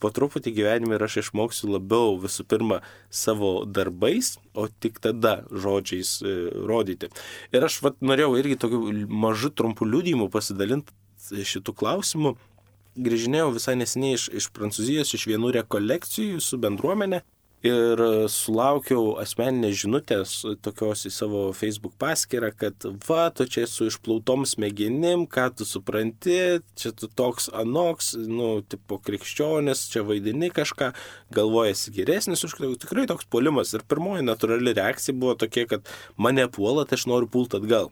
po truputį gyvenime ir aš išmoksiu labiau visų pirma savo darbais, o tik tada žodžiais e, rodyti. Ir aš vat, norėjau irgi tokių mažų trumpų liudijimų pasidalinti šitų klausimų. Grįžinėjau visai neseniai iš, iš Prancūzijos, iš vienų rekolekcijų su bendruomenė ir sulaukiau asmeninės žinutės tokios į savo Facebook paskyrą, kad va, tu čia su išplautom smegenim, ką tu supranti, čia tu toks anoks, nu, tipo krikščionis, čia vaidini kažką, galvojasi geresnis už kitų, tikrai toks puolimas. Ir pirmoji natūrali reakcija buvo tokia, kad mane puola, tai aš noriu pult atgal.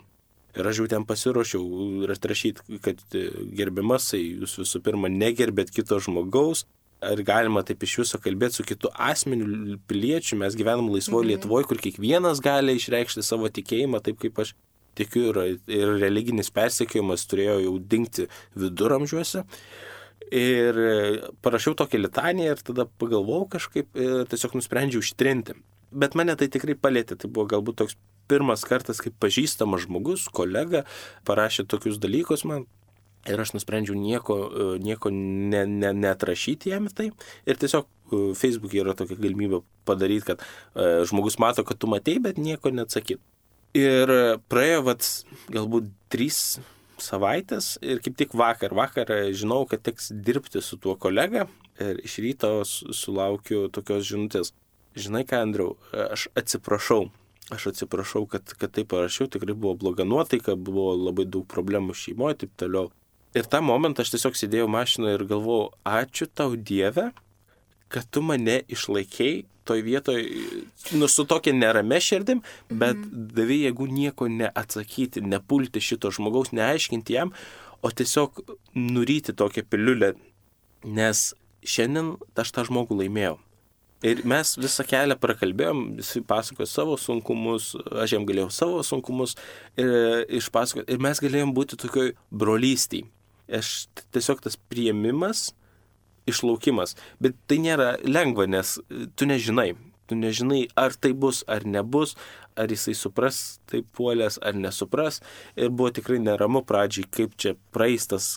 Ir aš jau ten pasiruošiau atrašyti, kad gerbiamasai, jūs visų pirma negerbėt kito žmogaus, ar galima taip iš viso kalbėti su kitu asmeniu piliečiu, mes gyvenam laisvoje mhm. Lietuvoje, kur kiekvienas gali išreikšti savo tikėjimą, taip kaip aš tikiu, ir, ir religinis persekiojimas turėjo jau dingti viduramžiuose. Ir parašiau tokią litaniją ir tada pagalvojau kažkaip ir tiesiog nusprendžiau ištrinti. Bet mane tai tikrai palėtė, tai buvo galbūt toks pirmas kartas, kaip pažįstamas žmogus, kolega, parašė tokius dalykus man. Ir aš nusprendžiau nieko, nieko ne, ne, neatrašyti jam tai. Ir tiesiog Facebook'e yra tokia galimybė padaryti, kad uh, žmogus mato, kad tu matei, bet nieko neatsakyti. Ir praėjo vat, galbūt trys savaitės ir kaip tik vakar, vakar žinau, kad teks dirbti su tuo kolega ir iš ryto sulaukiu tokios žinutės. Žinai ką, Andriau, aš atsiprašau. Aš atsiprašau, kad, kad taip parašiau, tikrai buvo bloga nuotaika, buvo labai daug problemų šeimoje, taip toliau. Ir tą momentą aš tiesiog sėdėjau mašinoje ir galvojau, ačiū tau Dieve, kad tu mane išlaikei toj vietoj, nu, su tokia nerame širdim, bet mm. davė jėgų nieko neatsakyti, nepulti šito žmogaus, neaiškinti jam, o tiesiog nuryti tokią piliulę, nes šiandien aš tą žmogų laimėjau. Ir mes visą kelią prakalbėjom, visi pasakojo savo sunkumus, aš jam galėjau savo sunkumus ir išpasakoti. Ir mes galėjom būti tokioj brolystiai. Aš tiesiog tas priėmimas, išlaukimas. Bet tai nėra lengva, nes tu nežinai. Tu nežinai, ar tai bus, ar nebus, ar jisai supras taip puolės, ar nesupras. Ir buvo tikrai neramu pradžiai, kaip čia praeistas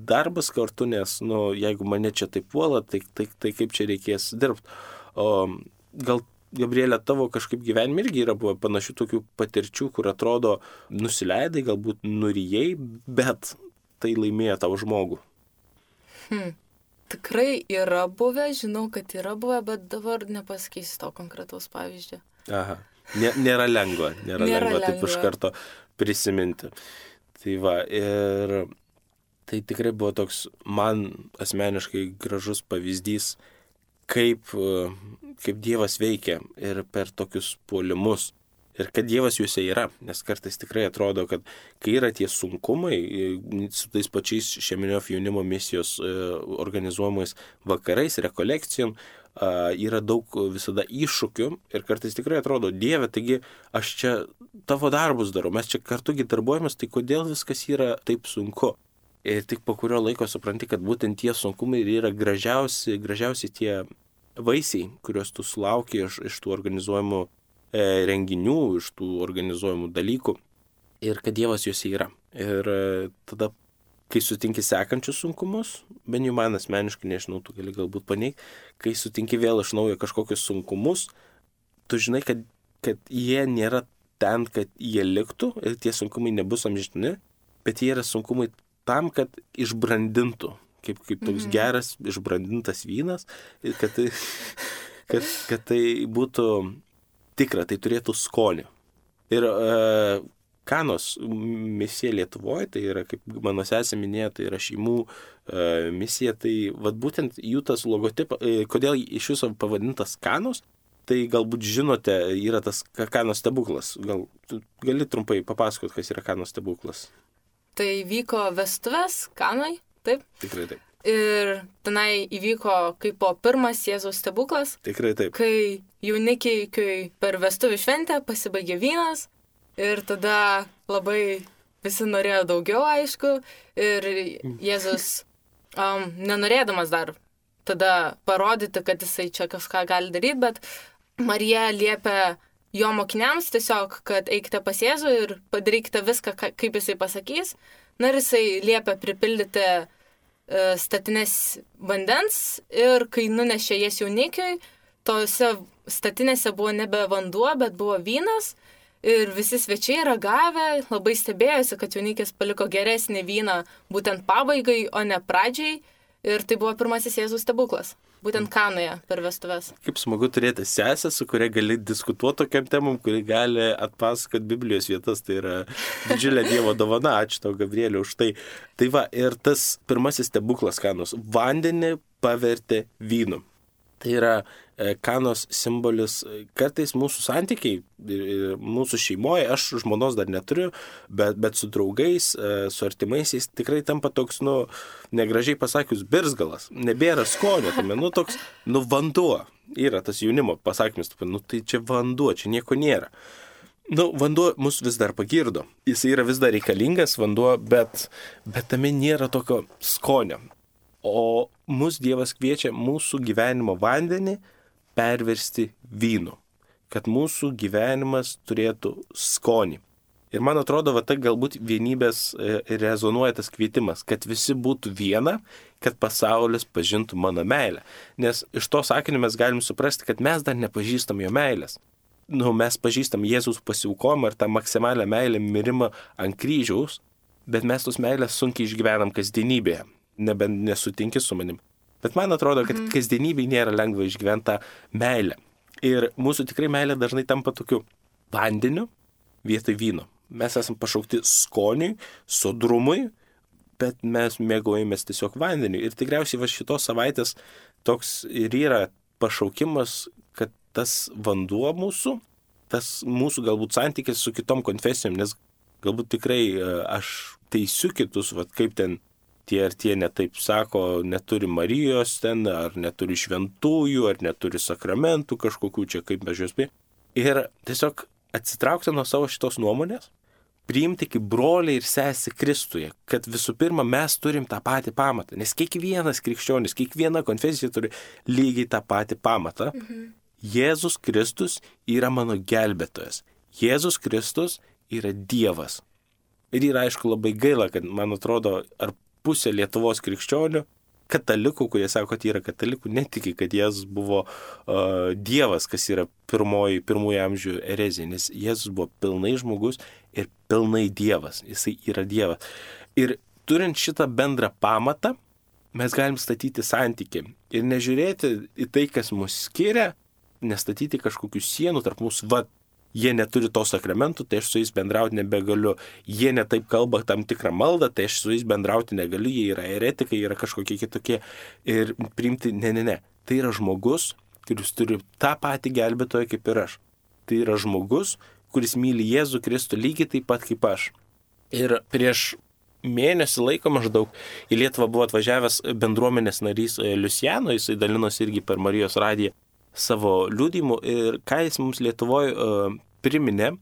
darbas kartu, nes, nu, jeigu mane čia taip puola, tai, tai, tai kaip čia reikės dirbti. O gal, Gabrielė, tavo kažkaip gyvenime irgi yra buvo panašių tokių patirčių, kur atrodo nusileidai, galbūt nurijai, bet tai laimėjo tavo žmogų. Hmm. Tikrai yra buvę, žinau, kad yra buvę, bet dabar nepasakysiu to konkretaus pavyzdžio. Aha, Nė, nėra lengva, nėra, nėra lengva, lengva taip iš karto prisiminti. Tai va, ir tai tikrai buvo toks man asmeniškai gražus pavyzdys, kaip, kaip Dievas veikia ir per tokius puolimus. Ir kad Dievas juose yra, nes kartais tikrai atrodo, kad kai yra tie sunkumai, su tais pačiais Šeminiof jaunimo misijos organizuojamais vakarais, rekolekcijom, yra daug visada iššūkių ir kartais tikrai atrodo, Dieve, taigi aš čia tavo darbus darau, mes čia kartugi darbuojamės, tai kodėl viskas yra taip sunku? Ir tik po kurio laiko supranti, kad būtent tie sunkumai yra gražiausi, gražiausi tie vaisiai, kuriuos tu sulauki iš, iš tų organizuojamų e, renginių, iš tų organizuojamų dalykų ir kad Dievas juose yra. Ir e, tada, kai sutinki sekančius sunkumus, bent jau man asmeniškai, nežinau, tu gali galbūt paneigti, kai sutinki vėl iš naujo kažkokius sunkumus, tu žinai, kad, kad jie nėra ten, kad jie liktų ir tie sunkumai nebus amžini, bet jie yra sunkumai tam, kad išbrandintų kaip, kaip toks mhm. geras, išbrandintas vynas, kad tai, kad, kad tai būtų tikra, tai turėtų skonį. Ir uh, Kanos misija Lietuvoje, tai yra, kaip mano sesė minėjo, tai yra šeimų uh, misija, tai vat būtent jų tas logotipas, uh, kodėl iš viso pavadintas Kanos, tai galbūt žinote, yra tas Kanos stebuklas. Gal gali trumpai papasakot, kas yra Kanos stebuklas? Tai vyko vestuvės Kanoj, taip? Tikrai taip. Ir tenai įvyko kaip po pirmas Jėzaus stebuklas. Tikrai taip. Kai jaunikiai, kai per vestuvių šventę pasibaigė vynas ir tada labai visi norėjo daugiau, aišku. Ir Jėzus, um, nenorėdamas dar tada parodyti, kad jisai čia kažką gali daryti, bet Marija liepia jo mokiniams tiesiog, kad eikite pas Jėzų ir padarykite viską, kaip jisai pasakys. Na ir jisai liepia pripildyti uh, statinės vandens ir kai nunešė jas jaunikiui, tose statinėse buvo nebe vanduo, bet buvo vynas. Ir visi svečiai ragavę labai stebėjosi, kad jaunikis paliko geresnį vyną būtent pabaigai, o ne pradžiai. Ir tai buvo pirmasis Jėzaus stebuklas. Būtent Kanoje per vestuves. Kaip smagu turėti sesę, su kuria gali diskutuoti tokiam temam, kuri gali atpasakoti Biblijos vietas. Tai yra didžiulė Dievo dovana. Ačiū tau, Gabrieliau, už tai. Tai va, ir tas pirmasis stebuklas Kanos. Vandenį pavertė vynu. Tai yra Kanos simbolis. Kartais mūsų santykiai, mūsų šeimoje, aš žmonos dar neturiu, bet, bet su draugais, su artimaisiais tikrai tampa toks, nu, negražiai pasakius, birzgalas. Nebėra skonio, tame, nu, toks, nu, vanduo. Yra tas jaunimo pasakymas, nu, tai čia vanduo, čia nieko nėra. Nu, vanduo mus vis dar pagirdo. Jis yra vis dar reikalingas, vanduo, bet, bet tame nėra tokio skonio. O mus Dievas kviečia mūsų gyvenimo vandenį perversti vynu, kad mūsų gyvenimas turėtų skonį. Ir man atrodo, va, tai galbūt vienybės rezonuoja tas kvietimas, kad visi būtų viena, kad pasaulis pažintų mano meilę. Nes iš to sakinio mes galim suprasti, kad mes dar nepažįstam jo meilės. Nu, mes pažįstam Jėzaus pasiaukojimą ir tą maksimalią meilę mirimą ant kryžiaus, bet mes tos meilės sunkiai išgyvenam kasdienybėje. Nebent nesutinki su manim. Bet man atrodo, kad mm. kasdienybėje nėra lengva išgyventi tą meilę. Ir mūsų tikrai meilė dažnai tampa tokiu vandeniu vietoj vyno. Mes esam pašaukti skoniui, sodrumui, bet mes mėgaujamės tiesiog vandeniu. Ir tikriausiai va šitos savaitės toks ir yra pašaukimas, kad tas vanduo mūsų, tas mūsų galbūt santykis su kitom konfesijom, nes galbūt tikrai aš teisiu kitus, va kaip ten tie ar tie netaip sako, neturi Marijos ten, ar neturi šventųjų, ar neturi sakramentų kažkokių čia, kaip mes juos prie. Ir tiesiog atsitraukti nuo savo šitos nuomonės, priimti kaip broliai ir sesė Kristuje, kad visų pirma mes turim tą patį pamatą, nes kiekvienas krikščionis, kiekviena konfesija turi lygiai tą patį pamatą. Mhm. Jėzus Kristus yra mano gelbėtojas. Jėzus Kristus yra Dievas. Ir yra aišku labai gaila, kad man atrodo, ar pusė Lietuvos krikščionių, katalikų, kurie sako, kad yra katalikų, netiki, kad Jėzus buvo uh, Dievas, kas yra pirmoji, pirmųjų amžių erezija, nes Jėzus buvo pilnai žmogus ir pilnai Dievas, jisai yra Dievas. Ir turint šitą bendrą pamatą, mes galim statyti santykį ir nežiūrėti į tai, kas mus skiria, nestatyti kažkokių sienų tarp mūsų, va, jie neturi to sakramentų, tai aš su jais bendrauti nebegaliu. Jie netaip kalba tam tikrą maldą, tai aš su jais bendrauti negaliu. Jie yra eretikai, yra kažkokie kitokie. Ir priimti, ne, ne, ne. Tai yra žmogus, kuris turi tą patį gelbėtoją kaip ir aš. Tai yra žmogus, kuris myli Jėzų Kristų lygiai taip pat kaip aš. Ir prieš mėnesį laiko maždaug į Lietuvą buvo atvažiavęs bendruomenės narys Liusiano, jisai dalinosi irgi per Marijos radiją savo liudijimu ir ką jis mums Lietuvoje uh, priminė,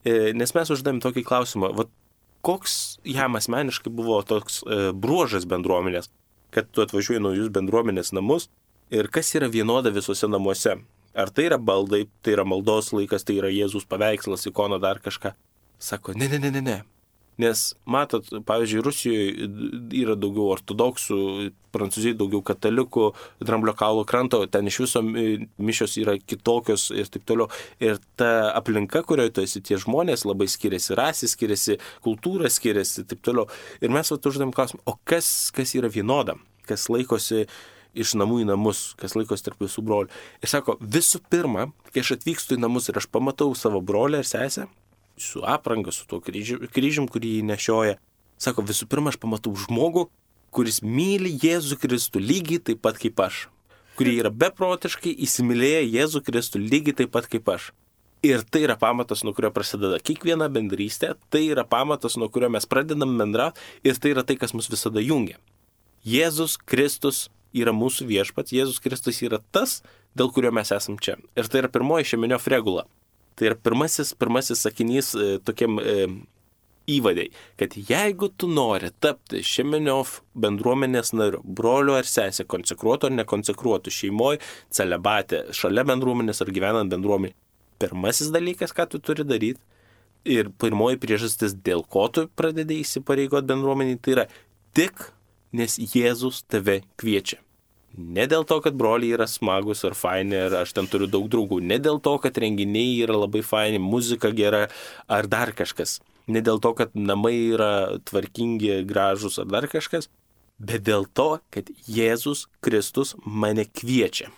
e, nes mes uždavėm tokį klausimą, va, koks jam asmeniškai buvo toks uh, bruožas bendruomenės, kad tu atvažiuoji naujus bendruomenės namus ir kas yra vienoda visose namuose. Ar tai yra baldai, tai yra maldos laikas, tai yra Jėzus paveikslas, ikona, dar kažką. Sako, ne, ne, ne, ne, ne. Nes, matot, pavyzdžiui, Rusijoje yra daugiau ortodoksų, Prancūzijoje daugiau katalikų, Dramblio kaulo kranto, ten iš viso mišios yra kitokios ir taip toliau. Ir ta aplinka, kurioje tu esi, tie žmonės labai skiriasi, rasė skiriasi, kultūra skiriasi ir taip toliau. Ir mes vat uždavėm klausimą, o kas, kas yra vienoda? kas laikosi iš namų į namus, kas laikosi tarp visų brolių. Ir sako, visų pirma, kai aš atvykstu į namus ir aš pamatau savo brolį ir sesę, su apranga, su tuo kryžium, kryžium kurį jį nešioja, sako, visų pirma, aš pamatau žmogų, kuris myli Jėzų Kristų lygiai taip pat kaip aš, kurie yra beprotiškai įsimylėję Jėzų Kristų lygiai taip pat kaip aš. Ir tai yra pamatas, nuo kurio prasideda kiekviena bendrystė, tai yra pamatas, nuo kurio mes pradedam bendrauti ir tai yra tai, kas mus visada jungia. Jėzus Kristus yra mūsų viešpats, Jėzus Kristus yra tas, dėl kurio mes esam čia. Ir tai yra pirmoji Šemeniof regula. Tai yra pirmasis, pirmasis sakinys e, tokiam e, įvadai, kad jeigu tu nori tapti Šemeniof bendruomenės nariu, broliu ar sesė, konsekruotu ar nekonsekruotu, šeimoje, celebate, šalia bendruomenės ar gyvenant bendruomenė, pirmasis dalykas, ką tu turi daryti ir pirmoji priežastis, dėl ko tu pradedi įsipareigot bendruomenį, tai yra tik, nes Jėzus tave kviečia. Ne dėl to, kad broliai yra smagus ar faini, ar aš ten turiu daug draugų, ne dėl to, kad renginiai yra labai faini, muzika gera ar dar kažkas, ne dėl to, kad namai yra tvarkingi, gražus ar dar kažkas, bet dėl to, kad Jėzus Kristus mane kviečia.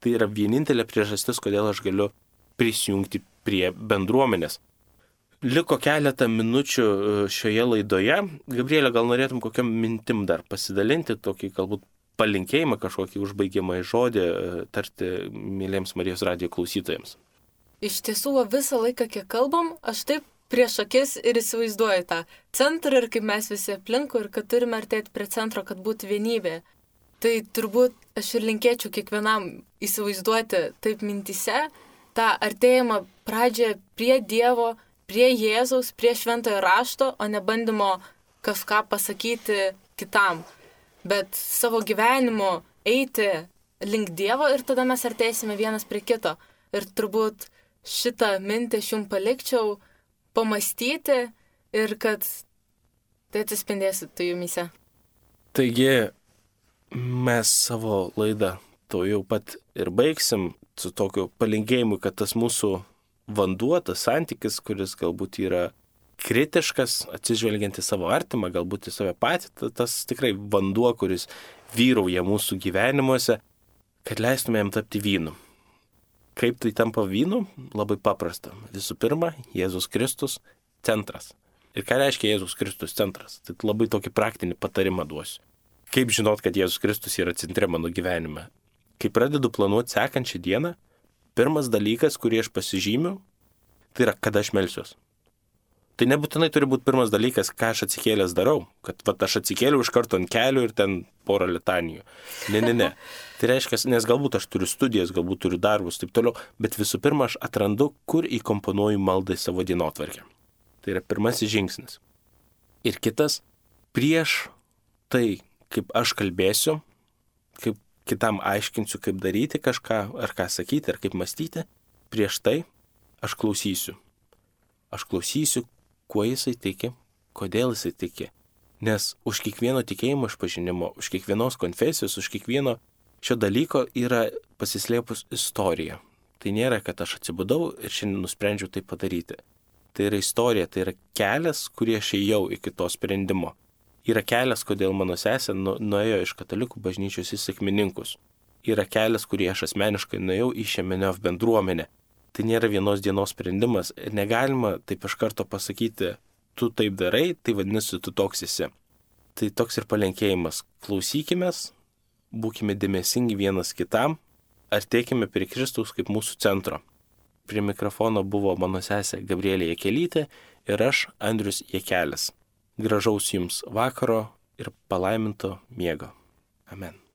Tai yra vienintelė priežastis, kodėl aš galiu prisijungti prie bendruomenės. Liko keletą minučių šioje laidoje. Gabrielė, gal norėtum kokiam mintim dar pasidalinti, tokį galbūt palinkėjimą, kažkokį užbaigiamą žodį tarti myliems Marijos radijo klausytojams. Iš tiesų, visą laiką, kiek kalbam, aš taip prieš akis ir įsivaizduoju tą centrą ir kaip mes visi aplinkui ir kad turime artėti prie centro, kad būtų vienybė. Tai turbūt aš ir linkėčiau kiekvienam įsivaizduoti taip mintyse, tą artėjimą pradžią prie Dievo, prie Jėzaus, prie šventojo rašto, o ne bandymo kažką pasakyti kitam. Bet savo gyvenimu eiti link Dievo ir tada mes artėsime vienas prie kito. Ir turbūt šitą mintį aš jums palikčiau pamastyti ir kad tai atsispindėsite jumyse. Taigi mes savo laidą to jau pat ir baigsim su tokiu palinkėjimu, kad tas mūsų vanduo, tas santykis, kuris galbūt yra kritiškas, atsižvelgiant į savo artimą, galbūt į save patį, tas tikrai vanduo, kuris vyrauja mūsų gyvenimuose, kad leistumėm tapti vynu. Kaip tai tampa vynu? Labai paprasta. Visų pirma, Jėzus Kristus centras. Ir ką reiškia Jėzus Kristus centras? Tai labai tokį praktinį patarimą duosiu. Kaip žinot, kad Jėzus Kristus yra centre mano gyvenime? Kai pradedu planuoti sekančią dieną, pirmas dalykas, kurį aš pasižymiu, tai yra, kada aš melsiuos. Tai nebūtinai turi būti pirmas dalykas, ką aš atsikėlęs darau, kad vat, aš atsikėliau iš karto ant kelių ir ten porą litanijų. Ne, ne, ne. Tai reiškia, nes galbūt aš turiu studijas, galbūt turiu darbus, taip toliau, bet visų pirma aš atrandu, kur įkomponuoju maldą į savo dienotvarkę. Tai yra pirmasis žingsnis. Ir kitas, prieš tai, kaip aš kalbėsiu, kaip kitam aiškinsiu, kaip daryti kažką, ar ką sakyti, ar kaip mąstyti, prieš tai aš klausysiu. Aš klausysiu, kuo jisai tiki, kodėl jisai tiki. Nes už kiekvieno tikėjimo išpažinimo, už kiekvienos konfesijos, už kiekvieno šio dalyko yra pasislėpus istorija. Tai nėra, kad aš atsibudau ir šiandien nusprendžiau tai padaryti. Tai yra istorija, tai yra kelias, kurį aš ėjau iki to sprendimo. Yra kelias, kodėl mano sesė nu, nuėjo iš katalikų bažnyčios į sekmininkus. Yra kelias, kurį aš asmeniškai nuėjau į Šemeniof bendruomenę. Tai nėra vienos dienos sprendimas ir negalima taip iš karto pasakyti, tu taip darai, tai vadinasi, tu toks esi. Tai toks ir palinkėjimas. Klausykimės, būkime dėmesingi vienas kitam, artėkime prie Kristaus kaip mūsų centro. Prie mikrofono buvo mano sesė Gabrielė Jakelytė ir aš, Andrius Jakelis. Gražaus jums vakaro ir palaiminto miego. Amen.